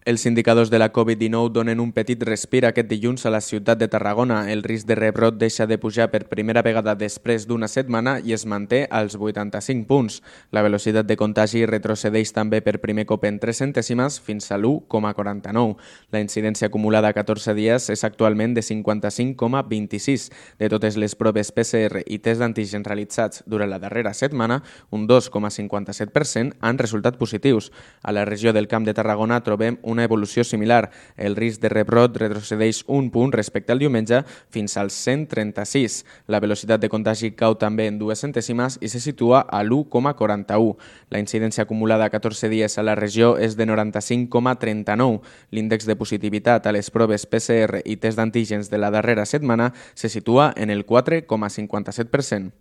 Els indicadors de la Covid-19 donen un petit respir aquest dilluns a la ciutat de Tarragona. El risc de rebrot deixa de pujar per primera vegada després d'una setmana i es manté als 85 punts. La velocitat de contagi retrocedeix també per primer cop en 3 centèsimes fins a l'1,49. La incidència acumulada a 14 dies és actualment de 55,26. De totes les proves PCR i test d'antígens realitzats durant la darrera setmana, un 2,57% han resultat positius. A la regió del Camp de Tarragona trobem una evolució similar. El risc de rebrot retrocedeix un punt respecte al diumenge fins als 136. La velocitat de contagi cau també en 2 centèsimes i se situa a l'1,41. La incidència acumulada a 14 dies a la regió és de 95,39. L'índex de positivitat a les proves PCR i test d'antígens de la darrera setmana se situa en el 4,57%.